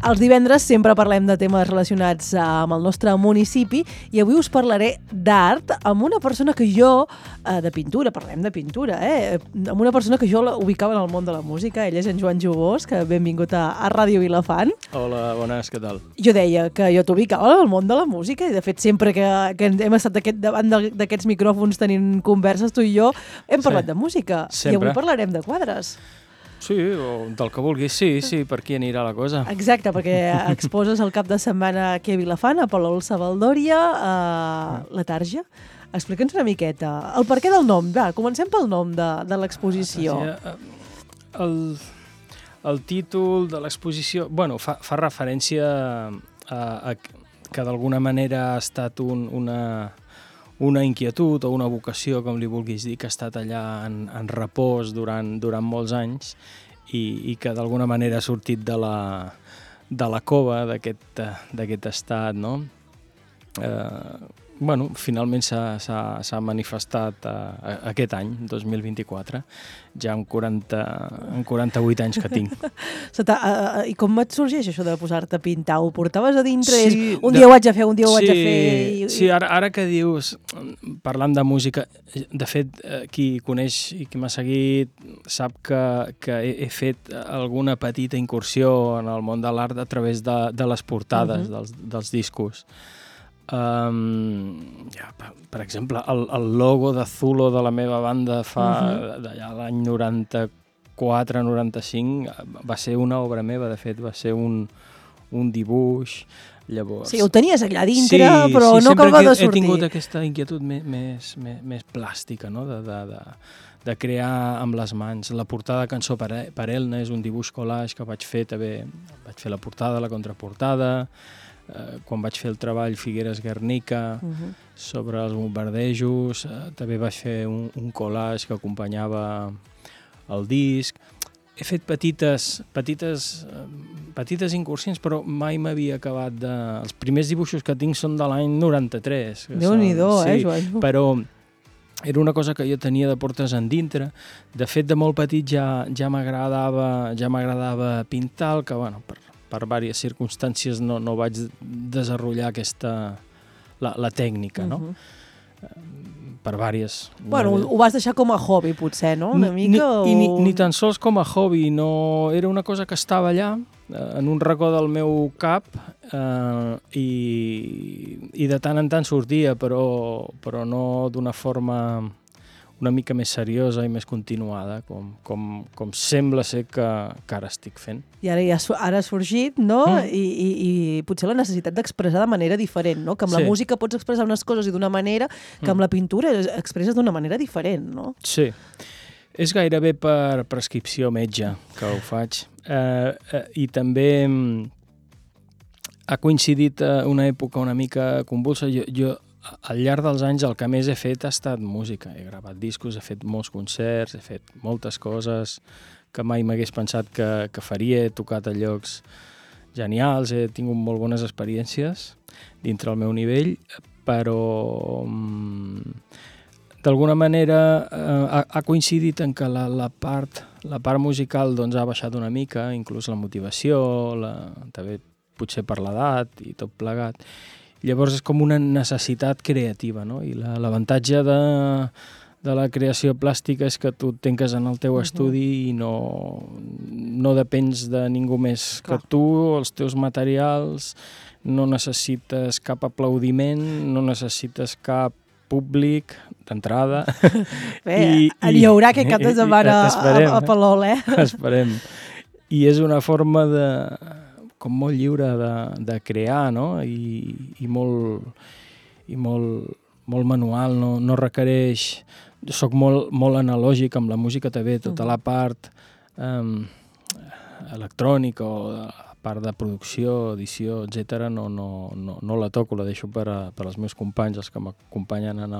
Els divendres sempre parlem de temes relacionats amb el nostre municipi i avui us parlaré d'art amb una persona que jo, de pintura, parlem de pintura, amb una persona que jo ubicava en el món de la música. Ell és en Joan Jubós, que benvingut a Ràdio Vilafant. Hola, bones, què tal? Jo deia que jo t'ubicava en el món de la música i de fet sempre que hem estat davant d'aquests micròfons tenint converses tu i jo hem parlat de música. Sempre. I avui parlarem de quadres. Sí, o del que vulguis, sí, per aquí anirà la cosa. Exacte, perquè exposes el cap de setmana aquí a Vilafant, a Palol Savaldòria, a la Tarja. Explica'ns una miqueta. El perquè del nom, va, comencem pel nom de l'exposició. El títol de l'exposició, bueno, fa referència a que d'alguna manera ha estat una inquietud o una vocació, com li vulguis dir, que ha estat allà en repòs durant molts anys i que d'alguna manera ha sortit de la cova d'aquest estat, no? Bueno, finalment s'ha manifestat aquest any, 2024, ja amb 48 anys que tinc. I com et sorgeix això de posar-te a pintar? Ho portaves a dintre? Sí, un dia ho vaig a fer, un dia ho vaig a fer... Sí, ara que dius, parlant de música, de fet, qui coneix i qui m'ha seguit sap que he fet alguna petita incursió en el món de l'art a través de les portades dels discos. Per exemple, el logo de Zulo de la meva banda fa d'allà l'any 94-95 va ser una obra meva, de fet va ser un dibuix. Llavors, sí, ho tenies allà dintre, però no acaba de sortir. He tingut aquesta inquietud més plàstica, no? De crear amb les mans. La portada de Cançó per Elna és un dibuix collage que vaig fer també. Vaig fer la portada, la contraportada, quan vaig fer el treball Figueres Guernica sobre els bombardejos, també vaig fer un collage que acompanyava el disc. He fet petites incursions, però mai m'havia acabat de... Els primers dibuixos que tinc són de l'any 93. Déu-n'hi-do, Joan? Però era una cosa que jo tenia de portes endintre. De fet, de molt petit ja m'agradava pintar, el que, bueno, per diverses circumstàncies no vaig desenvolupar la tècnica, no? Per diverses... Bueno, ho vas deixar com a hobby, potser, no? Una mica? Ni tan sols com a hobby, no... Era una cosa que estava allà, en un racó del meu cap, i de tant en tant sortia, però no d'una forma una mica més seriosa i més continuada, com sembla ser que ara estic fent. I ara ha sorgit, no? I potser la necessitat d'expressar de manera diferent, no? Que amb la música pots expressar unes coses i d'una manera, que amb la pintura expresses d'una manera diferent, no? Sí. És gairebé per prescripció metge que ho faig. I també ha coincidit una època una mica convulsa. Jo al llarg dels anys el que més he fet ha estat música. He gravat discos, he fet molts concerts, he fet moltes coses que mai m'hagués pensat que faria. He tocat a llocs genials, he tingut molt bones experiències dintre el meu nivell, però d'alguna manera ha coincidit en que la part musical doncs, ha baixat una mica, inclús la motivació, també potser per l'edat i tot plegat. Llavors és com una necessitat creativa, no? I l'avantatge de la creació plàstica és que tu et tanques en el teu estudi i no depens de ningú més que tu, els teus materials, no necessites cap aplaudiment, no necessites cap públic d'entrada. Bé, hi haurà aquest cap de setmana a Palol, Esperem. I és una forma com molt lliure de crear, no? I molt manual, no requereix... Jo soc molt analògic amb la música també, tota la part electrònica o la part de producció, edició, etc. No la toco, la deixo per als meus companys, els que m'acompanyen en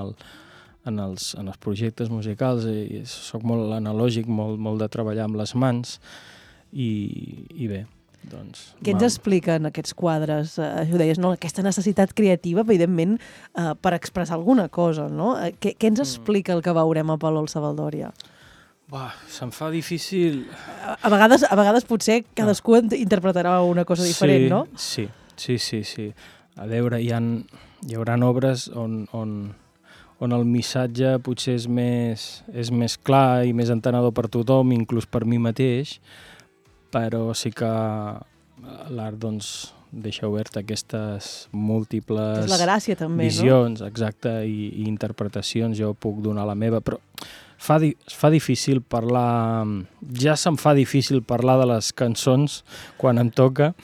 els projectes musicals. I soc molt analògic, molt de treballar amb les mans i bé. Doncs, què ens expliquen aquests quadres? Ho deies, no? Aquesta necessitat creativa, evidentment, per expressar alguna cosa, no? Què ens explica el que veurem a Palol Savaldòria? Se'm fa difícil... A vegades potser cadascú interpretarà una cosa diferent, no? Sí. A veure, hi haurà obres on el missatge potser és més clar i més entenedor per tothom, inclús per mi mateix, però sí que l'art doncs, deixa obert aquestes múltiples És la gràcia, també, visions, no? Exacte, i interpretacions. Jo puc donar la meva, però es fa difícil parlar... Ja se'm fa difícil parlar de les cançons quan em toca.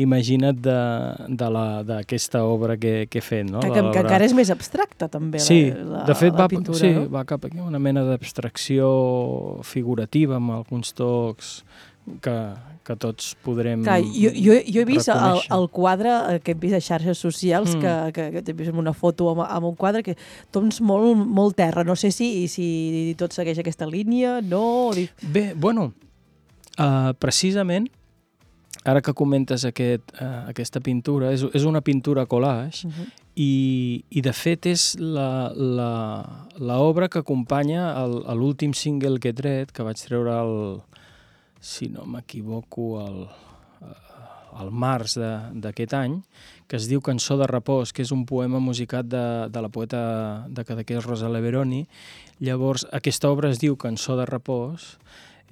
Imagina't d'aquesta obra que he fet, no? Que encara és més abstracta, també, de fet, la pintura, sí, no? va cap aquí una mena d'abstracció figurativa amb alguns tocs que tots podrem jo he vist reconèixer. el quadre que hem vist a xarxes socials, que t'he vist una foto amb un quadre que tons molt terra. No sé si tot segueix aquesta línia, no? Bé, bueno, precisament, ara que comentes aquesta pintura, és una pintura collage, i de fet és l'obra que acompanya l'últim single que he tret, que vaig treure si no m'equivoco, al març d'aquest any, que es diu Cançó de repòs, que és un poema musicat de la poeta de Cadaqués, Rosa Leveroni. Llavors, aquesta obra es diu Cançó de repòs,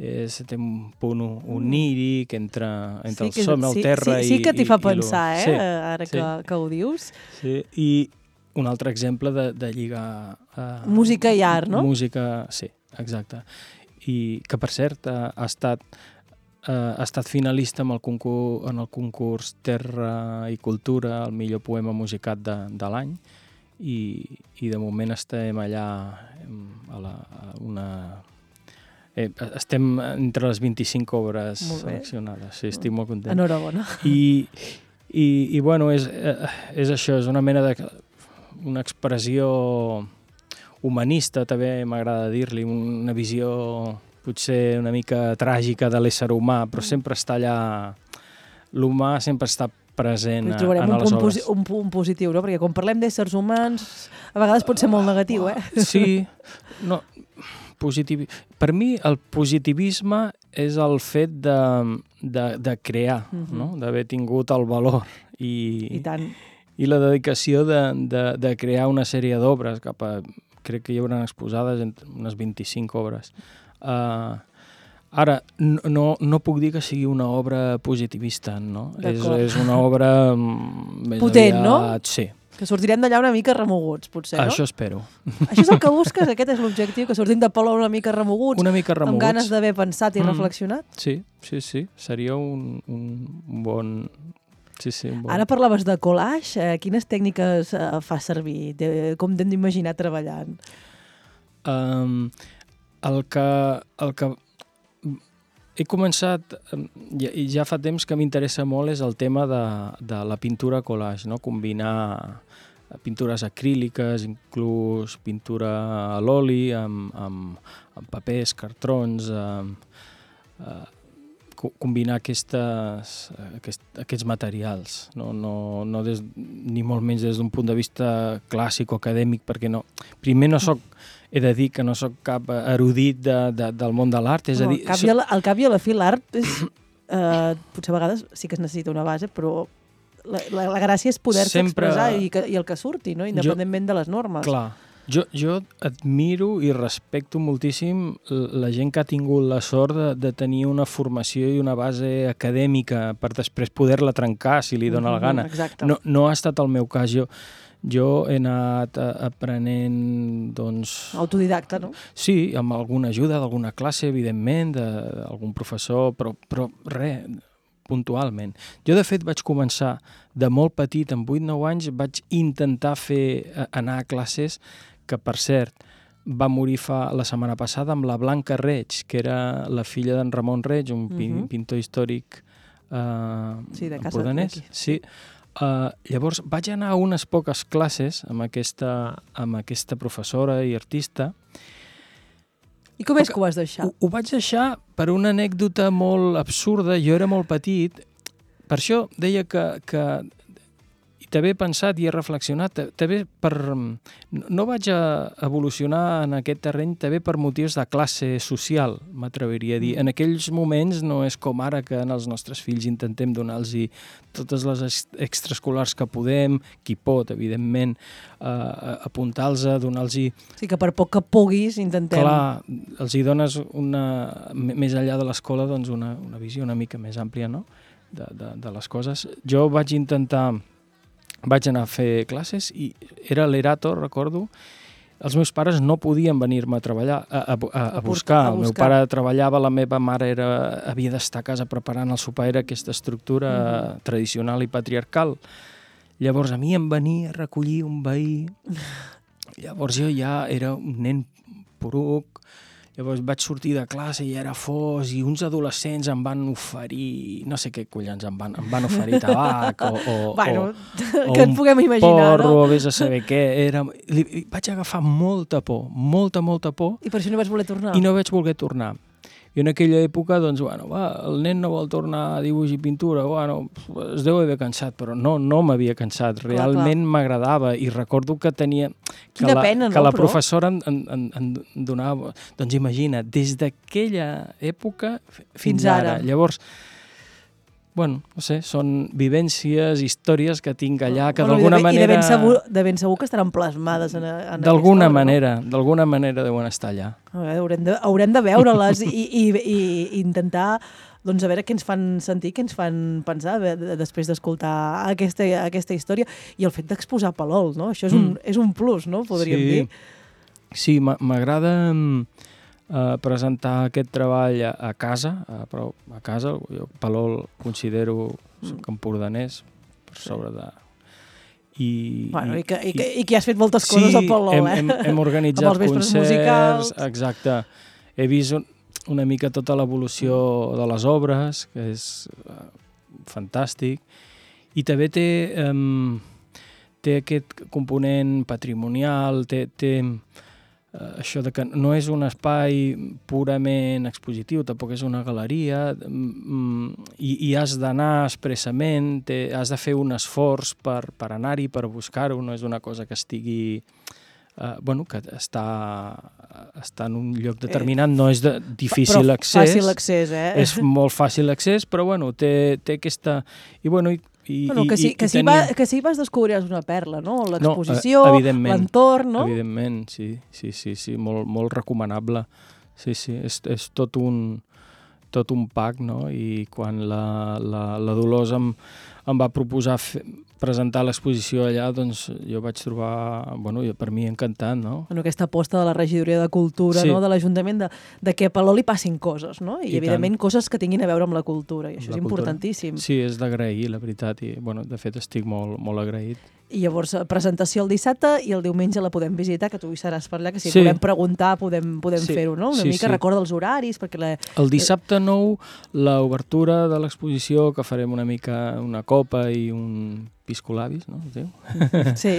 té un punt oníric entre el somni, el terra i... Sí que t'hi fa pensar, ara que ho dius. Sí, i un altre exemple de lligar... música i art, no? Música, sí, exacte. I que, per cert, ha estat finalista en el concurs Terra i Cultura, el millor poema musicat de l'any, i de moment estem allà estem entre les 25 obres seleccionades. Sí, estic molt content. Enhorabona. I bueno, és això, és una mena una expressió humanista, també m'agrada dir-li, una visió potser una mica tràgica de l'ésser humà, però sempre està allà, l'humà sempre està present en les obres. Un punt positiu, no? Perquè quan parlem d'éssers humans, a vegades pot ser molt negatiu, Sí, no, per mi el positivisme és el fet de crear, no? D'haver tingut el valor i tant. I la dedicació de crear una sèrie d'obres crec que hi haurà exposades unes 25 obres. Ara, no puc dir que sigui una obra positivista, no? És una obra més potent, no? Sí. Que sortirem d'allà una mica remoguts, potser, no? Això espero. Això és el que busques? Aquest és l'objectiu? Que sortim de Palau una mica remoguts? Una mica remoguts. Amb ganes d'haver pensat i reflexionat? Sí. Seria un bon... Sí, un bon... Ara parlaves de collage. Quines tècniques fas servir? Com t'hem d'imaginar treballant? El que he començat, i ja fa temps que m'interessa molt, és el tema de la pintura collage, no? Combinar pintures acríliques, inclús pintura a l'oli, amb papers, cartrons, combinar aquests materials, no ni molt menys des d'un punt de vista clàssic o acadèmic, perquè primer he de dir que no soc cap erudit del món de l'art. Al cap i a la fi l'art potser a vegades sí que es necessita una base, però la gràcia és poder-se expressar i el que surti, no? Independentment de les normes. Clar. Jo admiro i respecto moltíssim la gent que ha tingut la sort de tenir una formació i una base acadèmica per després poder-la trencar si li dóna la gana. No ha estat el meu cas. Jo he anat aprenent, doncs... Autodidacta, no? Sí, amb alguna ajuda d'alguna classe, evidentment, d'algun professor, però res, puntualment. Jo, de fet, vaig començar de molt petit, amb 8-9 anys, vaig intentar anar a classes que, per cert, va morir la setmana passada amb la Blanca Reig, que era la filla d'en Ramon Reig, un pintor històric empordanès. Sí. Llavors vaig anar a unes poques classes amb aquesta professora i artista. I com és que ho vas deixar? Ho vaig deixar per una anècdota molt absurda. Jo era molt petit, per això deia que també he pensat i he reflexionat, també no vaig evolucionar en aquest terreny també per motius de classe social, m'atreviria a dir. En aquells moments no és com ara que en els nostres fills intentem donar-los totes les extraescolars que podem, qui pot, evidentment, apuntar-los, donar-los... Sí, que per poc que puguis intentem... Clar, els hi dones més enllà de l'escola doncs una visió una mica més àmplia, no?, de les coses. Jo vaig anar a fer classes i era l'Erato, recordo. Els meus pares no podien venir-me a treballar, a buscar. El meu pare treballava, la meva mare havia d'estar a casa preparant el sopar, era aquesta estructura tradicional i patriarcal. Llavors a mi em venia a recollir un veí. Llavors jo ja era un nen poruc. Llavors vaig sortir de classe i era fos i uns adolescents em van oferir, no sé què collons, em van oferir tabac o que et puguem imaginar, porro, no? O vés a saber què. Vaig agafar molta por, molta por. I per això no vaig voler tornar? I no vaig voler tornar. I en aquella època, doncs, el nen no vol tornar a dibuix i pintura, es deu haver cansat, però no m'havia cansat, realment m'agradava i recordo que tenia... Quina pena, no? Que la professora em donava... Doncs imagina, des d'aquella època fins ara. Llavors, no sé, són vivències, històries que tinc allà, que d'alguna manera... I de ben segur que estaran plasmades en d'alguna manera, d'alguna manera deuen estar allà. Haurem de veure-les i intentar doncs, a veure què ens fan sentir, què ens fan pensar després d'escoltar aquesta història. I el fet d'exposar Palol, no? Això és un plus, no? Podríem dir. Sí, m'agrada... presentar aquest treball a casa, però a casa, jo Palol considero empordanès per sobre de... I que has fet moltes coses a Palol, hem organitzat concerts musicals. Exacte. He vist una mica tota l'evolució de les obres, que és fantàstic, i també té aquest component patrimonial, té això de que no és un espai purament expositiu, tampoc és una galeria, i has d'anar expressament, has de fer un esforç per anar-hi, per buscar-ho, no és una cosa que estigui... que està en un lloc determinat, no és de difícil accés. Fàcil accés, És molt fàcil accés, però té aquesta... Que sí vas descobrir una perla, no? L'exposició, l'entorn, no? Evidentment, sí, molt recomanable. Sí, és tot un pack, no? I quan la Dolors em va proposar presentar l'exposició allà, doncs jo vaig trobar, per mi encantant, no? Aquesta aposta de la regidoria de cultura, no? De l'Ajuntament, de que a Palol li passin coses, no? I evidentment coses que tinguin a veure amb la cultura, i això és importantíssim. Sí, és d'agrair, la veritat, i de fet estic molt agraït. I llavors, presentació el dissabte i el diumenge la podem visitar, que tu hi seràs per allà, que si podem preguntar podem fer-ho, no? Una mica recorda els horaris, perquè... El dissabte 9, l'obertura de l'exposició, que farem una mica una copa i un piscolabis, no? Es diu? Sí.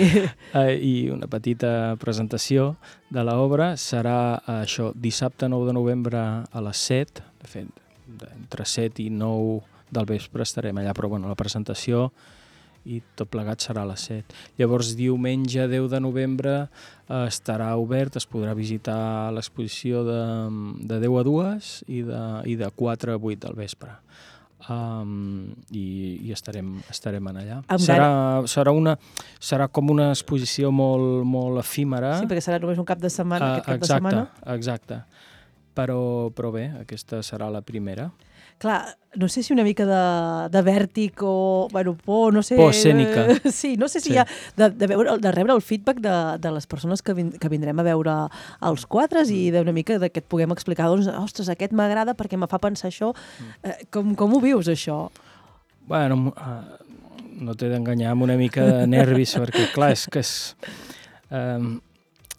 I una petita presentació de l'obra serà això, dissabte 9 de novembre a les 7, de fet, entre 7 i 9 del vespre estarem allà, però la presentació i tot plegat serà a les 7. Llavors, diumenge 10 de novembre estarà obert, es podrà visitar l'exposició de 10 a 2 i de 4 a 8 del vespre. I estarem allà. Serà com una exposició molt efímera. Sí, perquè serà només un cap de setmana, aquest cap de setmana. Exacte. Però bé, aquesta serà la primera. Clar, no sé si una mica de vèrtic o, por, no sé... Por escènica. Sí, no sé si hi ha de rebre el feedback de les persones que vindrem a veure els quadres i d'una mica que et puguem explicar, doncs, ostres, aquest m'agrada perquè me fa pensar això. Com ho vius, això? No t'he d'enganyar amb una mica de nervis, perquè clar, és que és...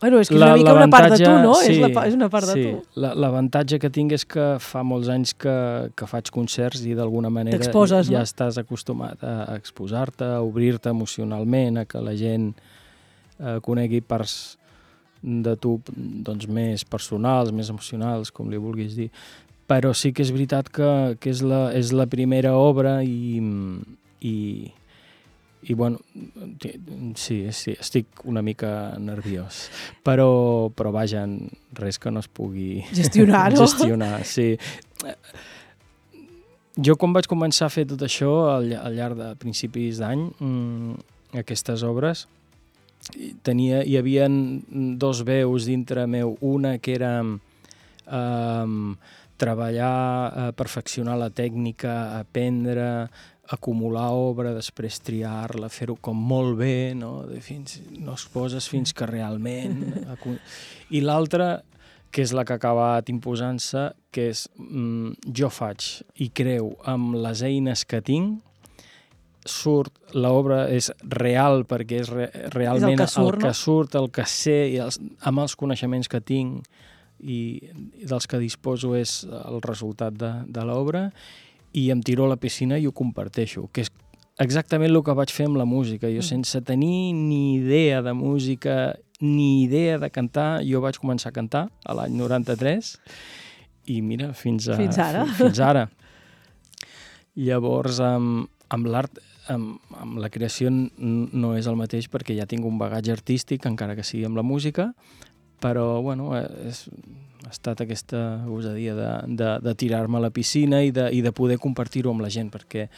És que és una mica una part de tu, no? Sí, és una part de tu. L'avantatge que tinc és que fa molts anys que faig concerts i d'alguna manera ja estàs acostumat a exposar-te, a obrir-te emocionalment, a que la gent conegui parts de tu doncs, més personals, més emocionals, com li vulguis dir. Però sí que és veritat que és la primera obra i I bueno, sí, estic una mica nerviós, però vaja, res que no es pugui gestionar, no? Gestionar, sí. Jo quan vaig començar a fer tot això al llarg de principis d'any, aquestes obres, hi havia dos veus dintre meu, una que era treballar, perfeccionar la tècnica, aprendre, acumular obra, després triar-la, fer-ho com molt bé, no es poses fins que realment... I l'altra, que és la que ha acabat imposant-se, que és jo faig i creu amb les eines que tinc, l'obra és real perquè és realment el que surt, el que sé, i amb els coneixements que tinc i dels que disposo és el resultat de l'obra, i em tiro a la piscina i ho comparteixo, que és exactament el que vaig fer amb la música. Jo sense tenir ni idea de música ni idea de cantar, jo vaig començar a cantar a l'any 93 i mira, fins ara. Llavors, amb l'art, amb la creació no és el mateix perquè ja tinc un bagatge artístic, encara que sigui amb la música, però bueno, ha estat aquesta gosadia de tirar-me a la piscina i de poder compartir-ho amb la gent, perquè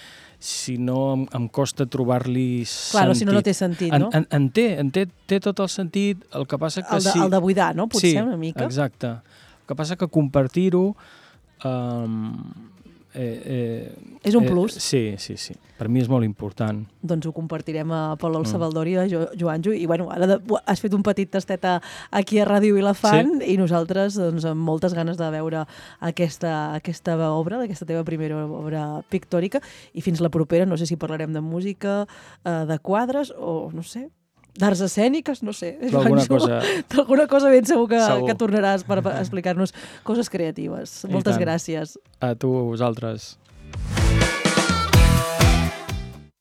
si no em costa trobar-li sentit. Clar, si no té sentit, no? Té tot el sentit, el que passa que el de buidar, no? Potser una mica. Sí, exacte. El que passa que compartir-ho és un plus. Sí. Per mi és molt important. Doncs ho compartirem a Palol Sabaldori, a Joanjo, i bueno, ara has fet un petit tastet aquí a Ràdio Vilafant, i nosaltres doncs, amb moltes ganes de veure aquesta obra, aquesta teva primera obra pictòrica, i fins la propera, no sé si parlarem de música, de quadres, o no sé, d'arts escèniques, no sé. D'alguna cosa ben segur que tornaràs per explicar-nos coses creatives. Moltes gràcies. A tu, a vosaltres.